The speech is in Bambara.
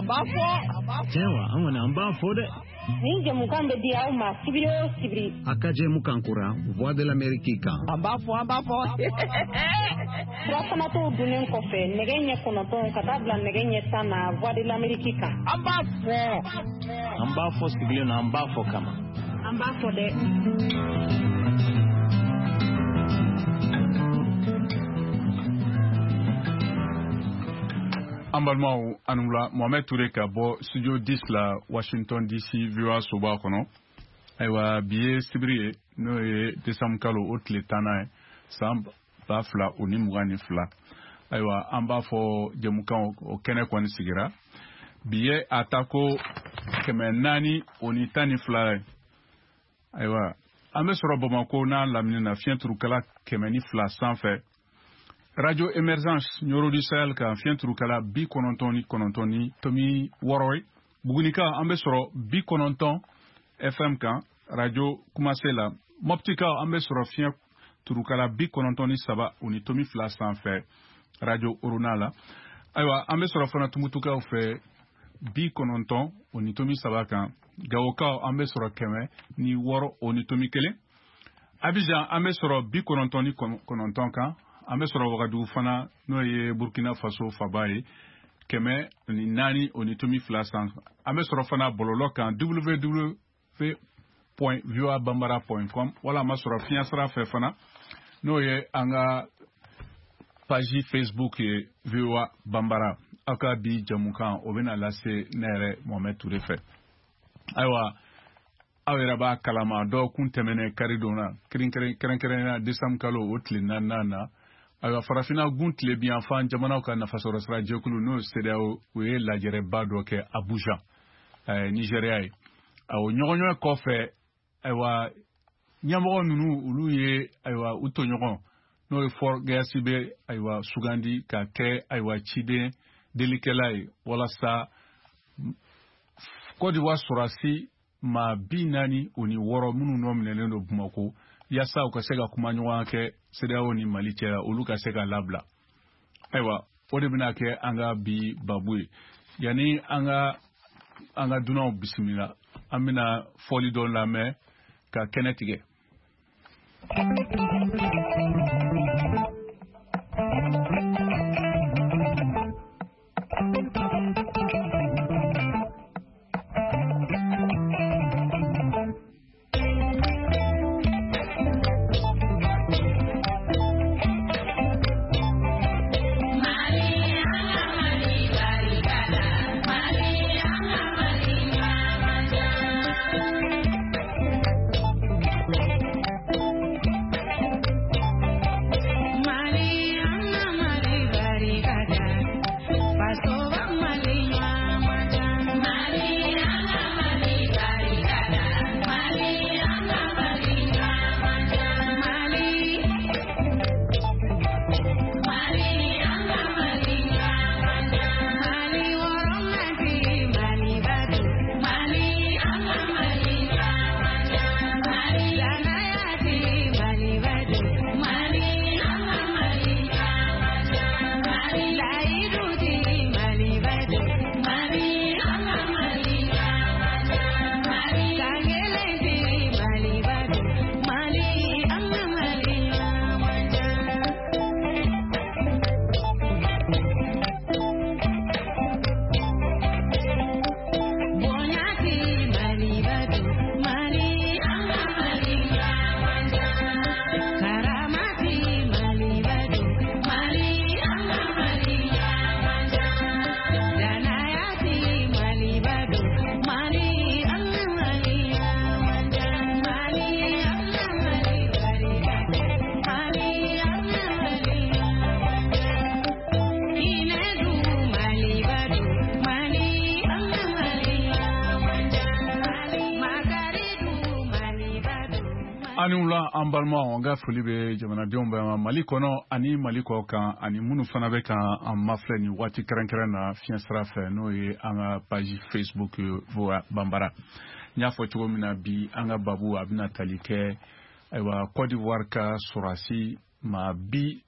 b'a fɔ. Tiɲɛ wa, an kɔni an b'a fɔ dɛ. Nin jɛmukan bɛ di aw ma sibiri o sibiri. A ka jɛmukan kura Voix de l'Amérique kan. An b'a fɔ, an b'a fɔ. Surafanatɔw dunnen kɔfɛ nɛgɛ ɲɛ 9 ka taa bila nɛgɛ ɲɛ 10 na Voix de l'Amérique kan. An b'a fɔ. An b'a fɔ sigilen na, an b'a fɔ kama. An b'a fɔ dɛ. An balimaw, aw ni wula. Mohamed Touré ka bɔ studio 10 la, Washington DC, VOA soba kɔnɔ. Ayiwa, bi ye sibiri ye, n'o ye décembre kalo o tile 10nan ye, san 2022. Ayiwa, an b'a fɔ jɛmukan o kɛnɛ kɔni sigira. Bi ye a ta ko 412 ye. Ayiwa, an bɛ sɔrɔ Bamakɔ n'a lamini na, fiɲɛ turukala 102 sanfɛ. Radio Emergence Nioro du Sahel kan, fiɲɛ turukala 99.6 ye. Bugunika, an bɛ sɔrɔ 90 FM kan, Radio Kumase la. Moptika, an bɛ sɔrɔ fiɲɛ turukala 93.2 sanfɛ, Radio Orona la. Ayiwa, an bɛ sɔrɔ fana Tumutukaw fɛ 90.3 kan. Gawokaw, an bɛ sɔrɔ 106.1. Abidjan, an bɛ sɔrɔ 99 kan. An bɛ sɔrɔ Wagadugu fana, n'o ye Burkina Faso faba ye, 104.2 san. An bɛ sɔrɔ fana bɔlɔlɔ kan, www.voabambara.com, wala an b'a sɔrɔ fiɲɛ sira fɛ fana, n'o ye an ka page Facebook ye, VOA Bambara. Aw ka bi jɛmukan o bɛna lase ne yɛrɛ Mohamed Touré fɛ. Ayiwa, aw yɛrɛ b'a kalama, dɔgɔkun tɛmɛnen karidon na, kɛrɛnkɛrɛnnenya décembre kalo o tile 4nan na, ayiwa, farafinna gun tilebinyanfan jamanaw ka nafasɔrɔsira jɛkulu, n'o ye CEDEAO, o ye lajɛrɛba dɔ kɛ Abuja, Nigéria ye. O ɲɔgɔnɲɔgɔn kɔfɛ, ayiwa, ɲɛmɔgɔ ninnu olu ye, ayiwa, u tɔɲɔgɔn, n'o ye Faure Gnassingbé, ayiwa, sugandi ka kɛ, ayiwa, ciden delikɛla ye, walasa Côte d'Ivoire sɔrɔdasi maa 46 minnu nɔ minɛlen don Bamakɔ, yaasa u ka se ka kuma ɲɔgɔnya kɛ CEDEAO ni Mali cɛ la, olu ka se ka labila. Ayiwa, o de bɛna kɛ an ka bi babu ye. Yanni an ka dunanw bisimila, an bɛna fɔli dɔ lamɛn ka kɛnɛ tigɛ. Ani wula, an balimaw, an ka foli bɛ jamanadenw bɛɛ ma Mali kɔnɔ ani Mali kɔ kan, ani minnu fana bɛ ka an mafilɛ nin waati kɛrɛnkɛrɛn na fiɲɛ sira fɛ, n'o ye an ka page Facebook VOA Bambara. N y'a fɔ cogo min na, bi an ka babu a bɛna tali kɛ, ayiwa, Côte d'Ivoire ka sɔrɔdasi maa 46.